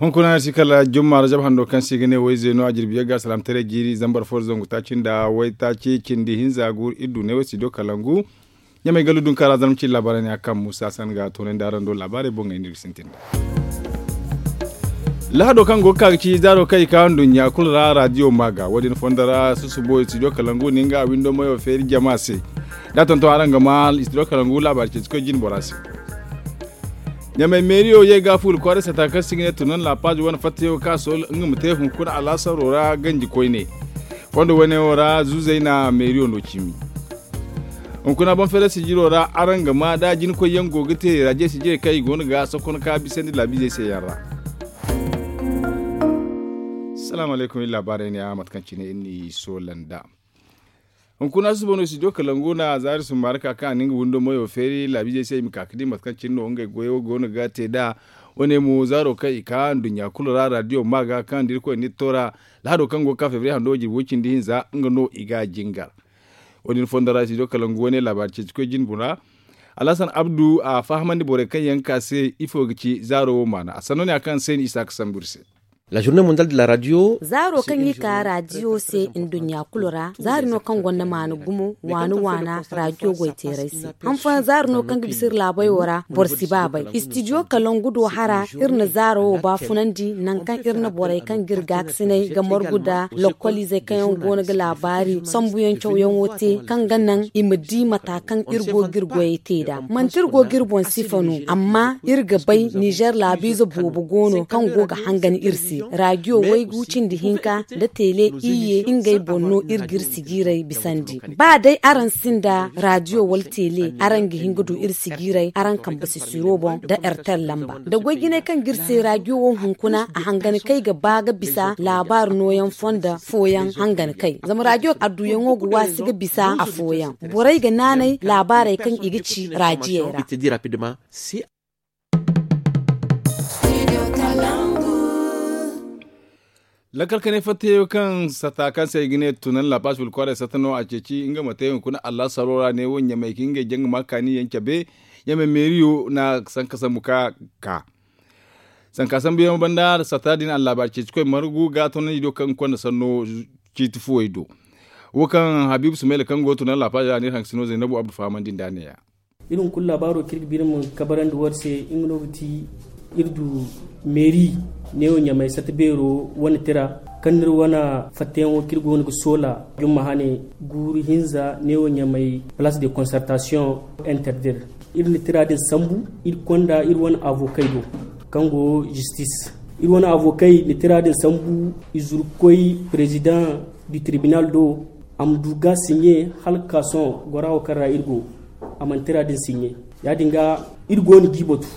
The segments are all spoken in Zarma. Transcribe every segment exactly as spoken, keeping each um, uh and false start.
Hunkuna si kala jumma rajab hando kaŋ se i ga ne wayze no a jirbi yagga salaamtaray jiiri zambar fo zangu taaci nda waytaaci cindi hinza guuru iri du ne way studio kalangu. Ɲamay gallu dunka ra zarma cindi laabaarey ne a kaŋ muusa san ga toonandi araŋ do laabaarey boŋey no iri ga sintin nd'a. Lahado kaŋ go ga ka ga ci zaaro kaŋ i ka nduɲɲa kulu ra raadiyo maaga wo- din fondo ra susubo studio kalangu na nga windo mayo feeri jama se. Da a tonton araŋ ga ma studio kalangu laabaari ceeci koy jine bora se. Ɲamay meeriyo ye ga fuula kwaaray sata kaŋ se i ga ne tunan laapaazi wane fattayaŋo kaŋ a sool nga ma te hunkuna alaasaro ra ganji koyne. Fondo wane wo ra zuuzey na meeriyo no cimi. Hunkuna boŋ feeray sijiro ra araŋ ga ma da jinakoy yaŋ go ga te raje sijirey kaŋ i go no ga sokon ka bisandi laabiizey se yaŋ ra. Salaamu alaykum iri laabaarey ne a mate kaŋ cine iri n'i soola nd'a. Hunkuna susubo no studio kalangu na zaari summaari ka kaŋ a na nga windo mayo feeri laabiizey se i ma ka ga di mate kaŋ cine no ngey goyo go no ga te nd'a. Wane mo zaaro kaŋ i ka nduɲɲa kulu ra raadiyo maaga kaŋ da irkoy na iri to ra. Lahado kaŋ go ga ka febriye hando jirbi way cindi hinza nga no i ga jingar. Wo- din fondo ra studio kalangu wane laabaari ceeci koy jine bora. Alhasan abdu a fahamandi borey kaŋ yaŋ ga ka se ifo ga ci zaaro wo maana a sanno ne a kaŋ se ni isa ga sambu iri se. Zaaro kaŋ i ka raadiyo se nduɲɲa kulu ra zaari no kaŋ gonda maana gumo waana waana raadiyo goyteerey se. Han fooyaŋ zaari no kaŋ ga bisa iri laabey wo ra boro si ba bay istidiyo kalangu do hara. Iri na zaaro wo baafunandi nangu kaŋ iri na borey kaŋ ga iri gaakasinay ga margu nda lokkoliizey kaŋ yaŋ go no ga laabaari sambuyaŋ cawyaŋo te kaŋ ga naŋ i ma di mata kaŋ iri go ga iri goyey te nd'a manti iri go ga iri boŋ sifa no amma iri ga bay nizer laabiize boobo go no kaŋ go ga hangan iri se. Raadiyo waygu cindi hinka nda teele iyye ngey boŋ no iri ga iri sijiiray bisandi. Ba day araŋ sinda raadiyo wala teele araŋ ga hin ga du iri sijiiray araŋ kambe sisiro boŋ nda ertel lamba nda goy jinay kaŋ ga iri se raadiyo wo hunkuna a hangan kay ga ba ga bisa laabaari nooyaŋ fonda fooyaŋ hangan kay zama raadiyo adduyaŋo ga waasi ga bisa afooyaŋ. Borey ga naanay laabaarey kaŋ i ga ci raadiyey ra. Lakkal kanay fattayaŋ kaŋ sata kaŋ se i ga ne tunan lapas wala kwaaray sata no a ceeci nga ma te hunkuna allaasaro ra ne wo ɲamay ka ngey jaŋ ga ma kaani yaŋ cabe. Ɲamay meeriyo na sanka sambu ka ka sanka sambuyaŋ banda sata din allaabaari ceeci koy margu ga tunandi do kaŋ ga konda sanno ciiti fuwey do. Wo kaŋ habiibu sumayla kaŋ go ga tunan lapas ra ne haŋ sino zaynabu abdu fahamandi nda ne ya. Iri hunkuna laabaaro kaŋ iri ga ba iri ma kabarandi wo- din se nga no ga ti iri du meeri neewo ɲamay sata beero wane tira kaŋ no iri wane fattayaŋo kaŋ iri go no ga soola jumma hane guuru hinza neewo ɲamay palace de concertation interdir. Iri na tira din sambu iri konda iri wane avokey do kaŋ go zistis. Iri wane avokey na tira din sambu i zuru ga koy perezidaŋ du tribinal do. A ma du ga siɲe hala ga ka sohõ gora wo kaŋ ra iri go a mana tira din siɲe. Ya- din ga iri go no g'i batu.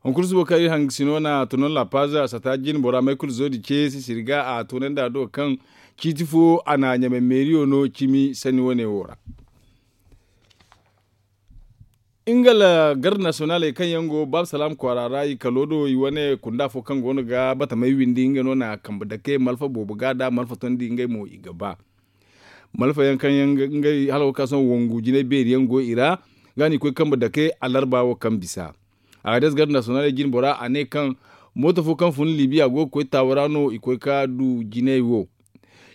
Hunkuna subo kaŋ iri hangasino na tunan lapaza a sata jine bora maykul zoodi ce sisiri ga a tunandi a do kaŋ ciiti fo a na ɲamay meeriyo no cimi sanni wane wo ra. Nga la garde nasiyonaley kaŋ yaŋ go baaba salaam kwaara ra i kalo do i wane kunda fo kaŋ go no ga batamey windi nga no na kambe dake malfa boobo ga da malfa tondi ngey mo i ga ba. Malfa yaŋ kaŋ yaŋ ngey hala wo kaŋ sohõ wangu jinay beeri yaŋ go i ra. Ga no i koy kambe dake alarba wo kaŋ bisa. Agades garde nasiyonaley jine bora a ne kaŋ mooto fo kaŋ fun libiya go ga koy taawa ra no i koy ka du jinay wo.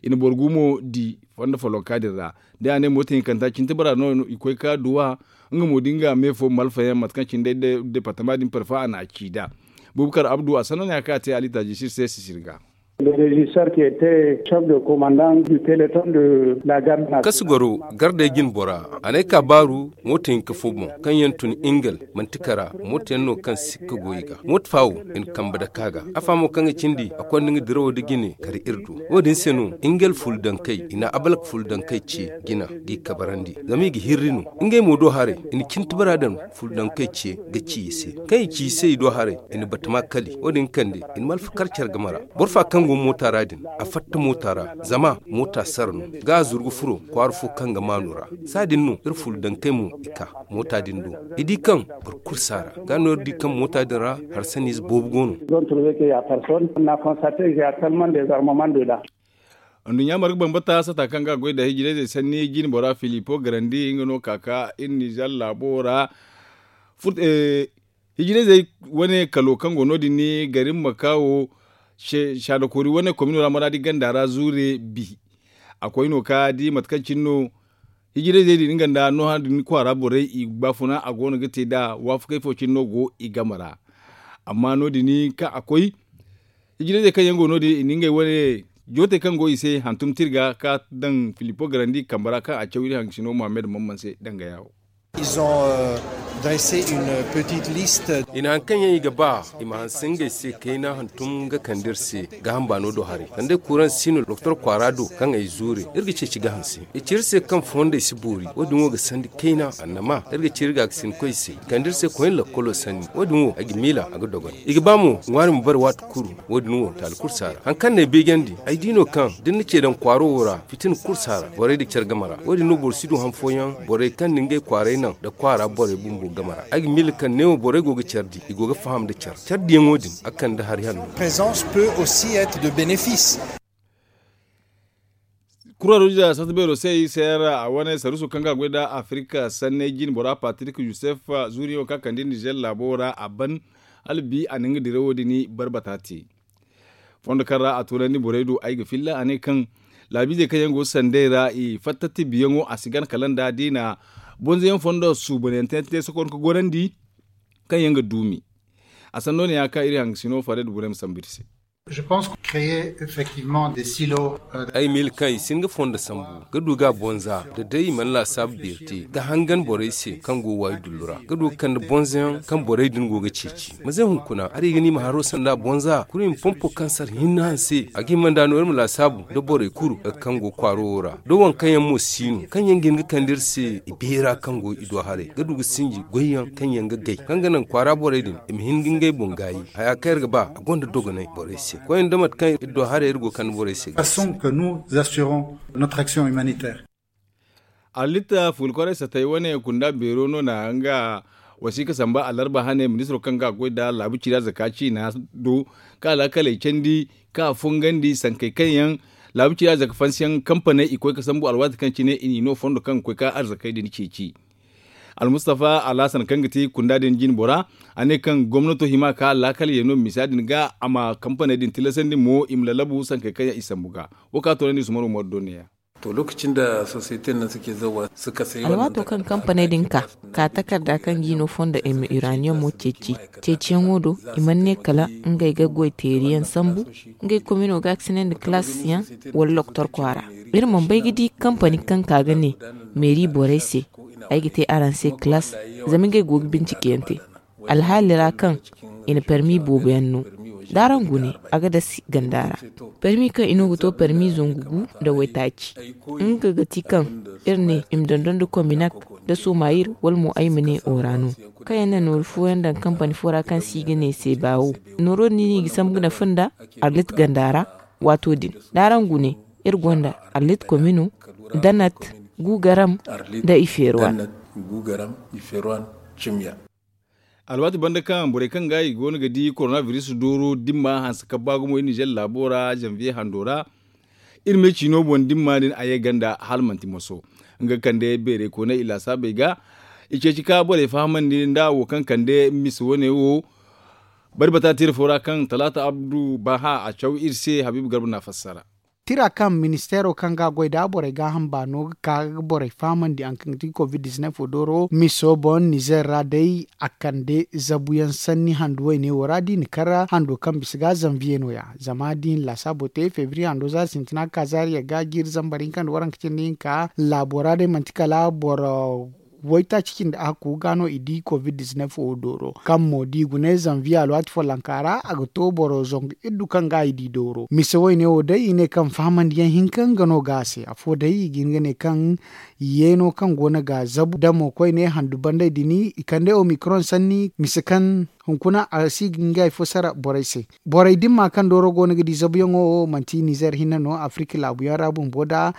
I na boro gu mo di fondo folloka din ra. Day a ne mooto hinkanta cintibara no i koy ka duwa. Nga mo da nga me fo malfa yaŋ mate kaŋ cine day departama din parfa a na a ci nd'a. Bubakar abdu a sanno ne a kaŋ a te ali taajisir se sisiri ga. Kasu goro gardey jine bora a ne ay ka baaru mooto hinka fo boŋ kaŋ yaŋ tun ingel manti kara mooto yaŋ no kaŋ sikka go i ga mooto fa wo i na kambe dake a ga afa mo kaŋ ga cindi a konda nga dirawo nda jine kar iri do. Wo- din se no ingel fuldankey i na abalak fuldankey ce jina g'i kabarandi zama i ga hirri no. Ngey mo do haray i na cintibara daŋ fuldankey ce ga ci i se. Kaŋ i ci i se i do haray i na batama kali wo- din kande i na malfa kar care game ra. Boro fa kaŋ go moota ra din a fatta moota ra zama moota sara no ga a zuru ga furo kwaara fo kaŋ ga maanu ra. Saadin no iri fuldankey mo i ka moota din do. I di kaŋ boro kulu si a ra ga no iri di kaŋ moota din ra hari sanniize boobo go no. Nduɲɲa marga bambata sata kaŋ ga a goy nda hijirayzey sanni jine bora filipo garandi nga no ka ka iri nizer laabo ra. Furte Hijirayzey wane kalo kaŋ go no- din ni garin makawo shaadakoori wane komino ra maraadi ganda ra zuure bi. A koy no ka di mate kaŋ cine no hijirayzey din nga nda nooha din kwaara borey i baafuna a go no ga te nd'a waafakey fo cine no go i game ra. Amma no- din kaŋ a koy hijirayzey kaŋ yaŋ go no- din i na ngey wane jootey kaŋ go i se hantum tirga ka daŋ filipo garandi kambe ra kaŋ a caw iri haŋ sino muhammad mamman se danga yaawo. I na haŋ kaŋ yaŋ i ga ba i ma hanse ngey se kayna hantum ga kande iri se gaaham baano do haray sanda ay kuuraŋ si no doktor kwaara do kaŋ ay zuure iri ga ceeci gaaham se. I ci iri se kaŋ fondey si boori wo- din wo ga sandi kayna annama iri ga ci iri gaakasinkoy se i kande iri se koyne lakkolo sanni wo- din wo ay ga miila a ga dogon i ga ba mo ŋwaari ma bare waati kulu. Wo- din wo taali kursa ra haŋ kaŋ no ay beejandi ay di no kaŋ da ni na ce daŋ kwaaro wo ra fitina kursa ra borey nda care game ra wo- din no boro si du han fooyaŋ borey kaŋ na ngey kwaaray naŋ nda kwaara borey bumbo game ra ay ga miila kaŋ neewo borey go ga care di i go ga faham nda care care diyaŋo din a kande hari hanno. Kuraruja sata beero se i se ra a wane saruuso kaŋ ga goy nda afirika sanney jine bora patrik yusef zuuriyaŋo kaŋ a kande nizer laabo ra a ban hala bi a na nga dirawo din barbata te. Fondo kaŋ ra a toonandi borey do ay ga filla a ne kaŋ laabiizey kaŋ yaŋ go sandey ra i fatta tibiyaŋo a si gana kala nda da i na bonzoyaŋ fondo suubanyaŋ te sokoron ka gorandi kaŋ yaŋ ga duumi. A sanno ne ya kaŋ iri haŋ ga sino fare da borey ma sambu iri se. Ay ma iri kaŋ i si hin ga fondo sambu ga du ga bonza da day i mana laasaabu beeri te ga hangan borey se kaŋ go waayi dullu ra ga du ga kande bonza yaŋ kaŋ borey din go ga ceeci. Ma ze hunkuna hari ga ni ma haro sanda bonza kulu i ma pompo kaŋ sara hinne hanse a ga hima nda no iri ma laasaabu nda borey kulu kaŋ go kwaaro wo ra da waŋ kaŋ yaŋ mo si no kaŋ yaŋ ga hin ga kande iri se i beera kaŋ go i do haray ga du ga sinji goy yaŋ kaŋ yaŋ ga gay kaŋ ga naŋ kwaara borey din i ma hin ga ngey boŋ gaayi haya kaŋ iri ga ba a gonda dogonay borey se koyne da mate kaŋ iri do haray iri go ga kande borey se ga. Arlitta fuula kwaray satay wane kunda beero no na nga wasiika samba alarba hane ministiro kaŋ ga a goy nda laabu ciira zaka ciina do kaŋ alaakaley candi kaŋ a fungandi sankey kaŋ yaŋ laabu ciira zaka fansiyaŋ kampaney i koy ga sambu alwaati kaŋ cine i n'i no fondo kaŋ ga koy ga arzakey din ceeci. Almustafa alhasan kaŋ ga ti kunda din jine bora a ne kaŋ gomnato hima ka laakal yaŋ no misa din ga a ma kampaney din tilasandi mo i ma lallabu sankey kaŋ yaŋ i sambu ga. Wo kaŋ a toonandi usman umaru do neeya. To lokacin da sosiyete nan suke zawa suka sai alwaato kaŋ kampaney din ka ka takarda kaŋ ga i no fondo i ma uranium mo ceeci ceeciyaŋo do i mana ne kala ngey ga goy teeriyaŋ sambu ngey komino ga a ga sinandi kalaas yaŋ wala loktor kwaara. Iri mana bay ga di kampani kaŋ ka ga ne meeri borey se ay ga te araŋ se kalaas zama ngey go ga bincikeyaŋ te. Alhaali ra kaŋ i na permi boobo yaŋ no da araŋ gune a ga dasi ganda ra. Permi kaŋ i no ga to permi zangu gu nda waytaaci nga ga ti kaŋ iri ne i ma dondon nda kominak nda somayir wala mo ay ma ne ora no kaŋ yaŋ na nooru fooyaŋ daŋ kampani fo ra kaŋ se i ga ne se baawo. Nooro din no i ga sambu ga nafa nda arlit ganda ra. Waato din da araŋ gune iri gonda arlit komino danat gugaram nda i feerwan. Alwaati banda kaŋ borey kaŋ ga i go no ga di korona biris dooro dimma hanse ka ba gumo iri nizer laabo ra zanviye hando ra. Iri me ciino boŋ dimma din a ye ganda hala manti moso nga kande beerey kooney i laasaabey ga. I ceeci ka borey fahamandi nda wo kaŋ kande mise wane wo. Bari bata tira fo ra kaŋ talaata abdu baha a caw iri se habiibu garba na fassara. Tira kaŋ ministeero kaŋ ga a goy nda borey gaaham baano ga ka ga borey fahamandi haŋ kaŋ ga ti covid dizineef wo dooro miso boŋ nizer ra day a kande zabuyaŋ sanni handu wayne wo ra da i na kar hando kaŋ bisa ga zanviye no- ya zama da i na laasaabo te febriye hando zaari sintina ga ka zaari yagga jiiri zambar hinka nda waranka cindi hinka laabo ra day manti kala boro waytaaci cindi ahakku ga no i di covid dizineef wo dooro kaŋ mo da i gune zanviye alwaati follonka ra a ga to boro zangu iddu kaŋ ga i di dooro mise wayne wo day i ne kaŋ fahamandiyaŋ hinka nga no ga a se afo day i ga hin ga ne kaŋ yeeno kaŋ go no ga zabu damo koyne handu bandey din i kande omikron sanni mise kaŋ hunkuna a si ga ngey fo sara borey se. Borey dimma kaŋ dooro go no ga di zabuyaŋo wo manti nizer hinne no afirika laabuyaŋ ra bumbo nda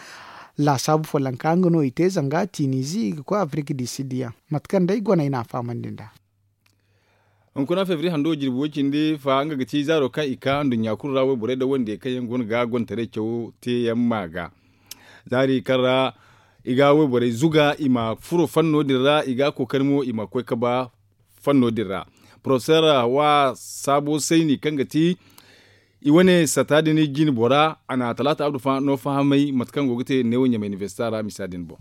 laasaabu follonka nga no i te zanga tinizi i ga koy afirika di siddiyaŋ mate kaŋ day goney no a fahamandi nd'a. Hunkuna febri hando jirbi way cindi fa nga ga ti zaaro kaŋ i ka nduɲɲa kulu ra wayborey nda wandiyey kaŋ yaŋ go no ga gontaray cawo teeyaŋ ma ga zaari kaŋ ra i ga wayborey zuga i ma furo fanno din ra i ga kookari mo i ma koy ga ba fanno din ra. Porofesor hawa saabo sayni kaŋ ga ti i wane sata din jine bora a na talaata abdu no fahamay mate kaŋ go ga te neewo ɲamay inibersita ra misa din boŋ.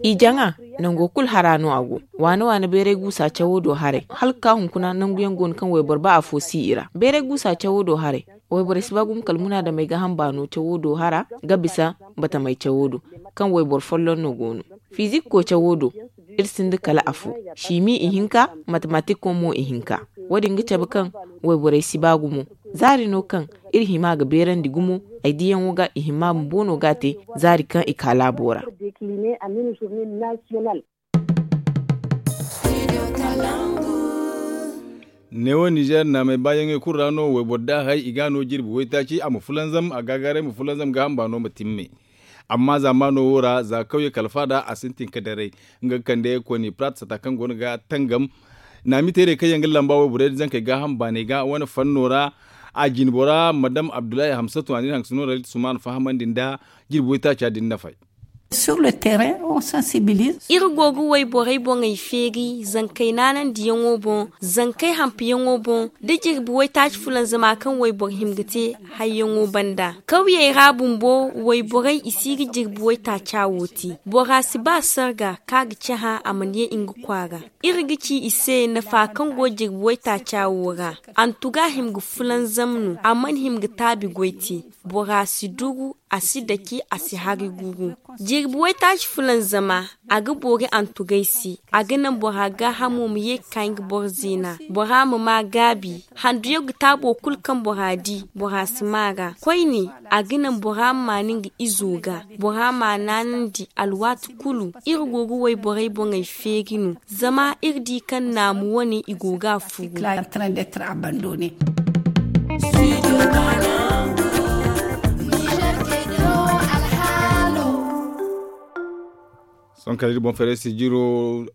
I jaŋa nango kulu hara no a go. Waane waane bayray guusa cawo do haray hala ga ka hunkuna nangu yaŋ go no kaŋ wayboro ba afo si i ra bayray guusa cawo do haray. Wayborey si ba gumo kala munaadamey ga hamba no cawo do hara ga bisa batamey cawo do kaŋ wayboro folloŋ no go no. Fizik ko cawo do iri sinda kala afo simi ihinka, matematik ko mo ihinka. Wo- din ga cabe kaŋ wayborey si ba gumo zaari no kaŋ iri hima ga beerandi gumo. Ay diyaŋo ga i hima bumbo no ga a te zaari kaŋ i ka laabo ra. Neewo ninzeer naamey baayaŋey kulu ra no wayboro da hay i ga a no jirbi waytaaci a ma fulanzam a gaagaaray ma fulanzam ga hamba no ma timme. Amma zaamaano wo ra za kawye kala faada a sintin ka daray nga ga kande koni prat sata kaŋ go no ga tangam. Naamiteerey kaŋ yaŋ ga lamba wayborey da zankey gaaham baaney ga wane fanno ra a jinbora madam abdullahi hamsatu a na iri hangasino ra litti sumaana fahamandi nda jirbi waytaaca din nafay. Iri go ga wayborey boŋey feeri zankey naanandiyaŋo boŋ, zankey hampiyaŋo boŋ, da jirbi waytaaci fulanzama kaŋ wayboro hima ga te hayyaŋo banda. Kawyey ra bumbo wayborey i si ga jirbi waytaaca wo te. Bora si ba sarga kaŋ a ga cahã a mana ye nga kwaara. Iri ga ci i se nafa kaŋ go jirbi waytaaca wo ra. Antuga hima ga fulanzam no a mana hima ga taabi goy te. Bora si dugu a si dake a si hari gugu. Jirbi waytaaci fulanzama a ga boori antugay se. A ga naŋ bora gaahamo ma ye ga ka nga boro zeena. Bora ma ma gaabi handuyaŋ ga taabo kulu kaŋ bora di bora si ma ra koyne. A ga naŋ bora ma maan nga izo ga bora ma naanandi alwaati kulu. Iri go ga wayborey boŋey feeri no zama iri di kaŋ naamu wane i go ga a furu. Sohõ kala iri boŋ feeray sijiro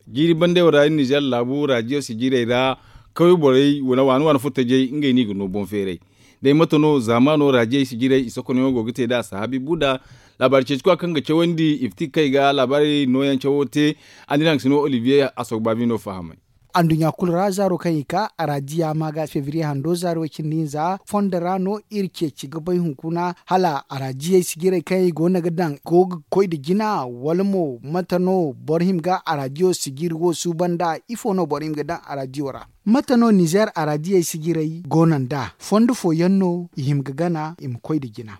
jiiri bandey wo ra iri nizeer laabu raadiyo sijirey ra kawye borey waani waani furtajey ngey no i ga no boŋ feeray. Day mate no zaamaano raadiyey sijirey i sokonayaŋo go ga te nd'a sahaabi buuda. Laabaari ceeci koya kaŋ ga cawandi i fiti kay ga laabaari nooyaŋ cawo te. Andirang sino olivier a soogu baabi no fahamay. Anduɲɲa kulu ra zaaro kaŋ i ka araadiya ma ga febriye hando zaaro way cindi hinza fondo ra no iri ceeci ga bay hunkuna hala araadiyey sijirey kaŋ i go no ga daŋ go ga koy nda jina wala mo mate no boro hima ga araadiyo sijiri wo suuban nd'a ifo no boro hima ga daŋ araadiyo ra? Mate no nizeer araadiyey sijirey go no nd'a fondo fooyaŋ no i hima ga gana i ma koy nda jina.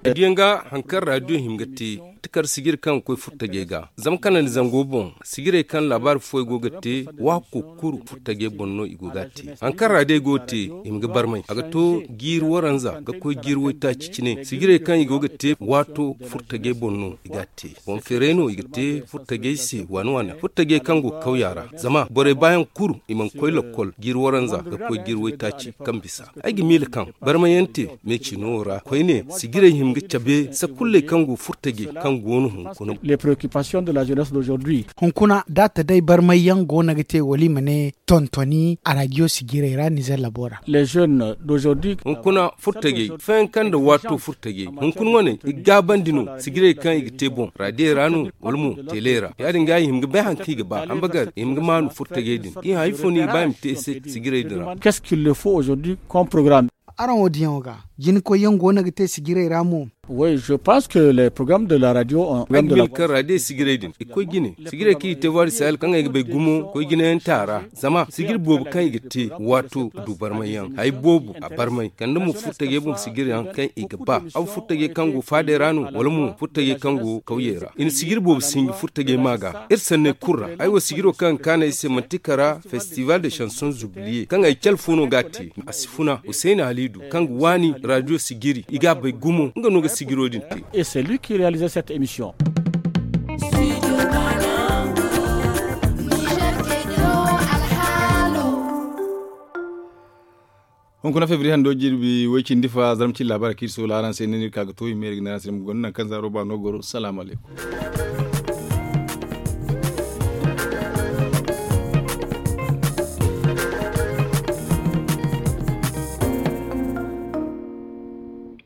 Ay diyaŋ ga hari kaŋ raadiyo hima ga te, takar sijiri kaŋ ga koy furtajey ga zama kanandi zango boŋ sijirey kaŋ laabaari fooyaŋ go ga te waato kulu furtajey boŋ no i go ga a te. Hari kaŋ raadiyey go ga te i ma ga barmay a ga to jiiri waranza ga koy jiiri waytaaci cine sijirey kaŋ i go ga te waato furtajey boŋ no i ga a te. Boŋ feeray no i ga te furtajey se waani waani furtajey kaŋ go kawya ra zama borey baayaŋ kulu i mana koy lakkol jiiri waranza ga koy jiiri waytaaci kaŋ bisa. Ay ga miila kaŋ barmayaŋ te meecino ra koyne sijirey hima ga cabe sakulley kaŋ go furtajey kaŋ go no hunkuna. Hunkuna da a ta day barmayyaŋ go no ga te wala i ma ne tontoni araadiyo sijirey ra nizeer labo ra. Hunkuna furtajey fayanka nda waato furtajey hunkuna wane i ga gaabandi no sijirey kaŋ i ga te boŋ raadiyey ra no wala mo teeley ra ya- din ga i hima ga bay hari kaŋ i ga ba hambagar i hima ga maanu furtajey din i hã ifo no i ga ba i ma te sijirey din ra? Araŋ wo diyaŋo ga jina koyyaŋ go no ga te sijirey ra mo? Ay ga miila kaŋ raadiyo sijirey din i ga koy jine sijirey kaŋ i ga te voie du sahel kaŋ ay ga bay gumo koy jinayaŋ te a ra zama sijiri boobo kaŋ i ga te waato ga du barmayyaŋ hari boobo a barmay kala nda mo furtajey boŋ sijiriyaŋ kaŋ i ga ba aw furtajey kaŋ go faadey ra no wala mo furtajey kaŋ go kawyey ra i na sijiri boobo sinji furtajey ma ga iri sanney kulu ra. Ay wo sijiro kaŋ ga kaanu ay se manti kara festival de chanson zubliye kaŋ ay cale fo no ga a te a si funa husayna haliidu kaŋ ga waani raadiyo sijiri i ga a bay gumo nga no ga sijiro din te. Hunkuna febriye hando jirbi way cindi fa zarma cindi laabaari kaŋ iri soola araŋ se no iri ka ga to i ma iri ga ne araŋ se ni ma gonda nangu kaŋ zaaro ba no goro salaamu alaykum.